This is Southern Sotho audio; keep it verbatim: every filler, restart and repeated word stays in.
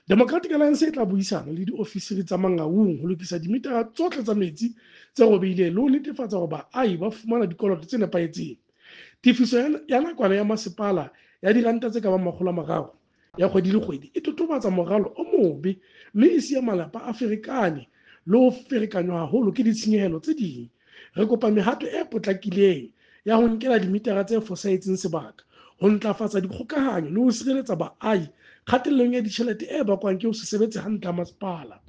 Democratic Alliance e tla buisana le diofisiri tsa Mangaung ho lokisa dimitara tsohle tsa metsi tse robehileng le ho netefatsa hore baahi ba fumana dikoloto tse nepahetseng. Tefiso ya nakwana ya masepala ya diranta tse ka bang makgolo a mararo ya kgwedi le kgwedi e totobatsa moralo o mobe mme e siya malapa a ferekane le ho ferekanywa haholo ke ditshenyehelo tse ding. Re kopa mehato e potlakileng ya ho nkela dimitara tse fosahetseng sebaka, ho ntlafatsa dikgokahanyo le ho sireletsa baahi kgatellong ya ditjhelete e bakwang ke ho se sebetse hantle ha masepala.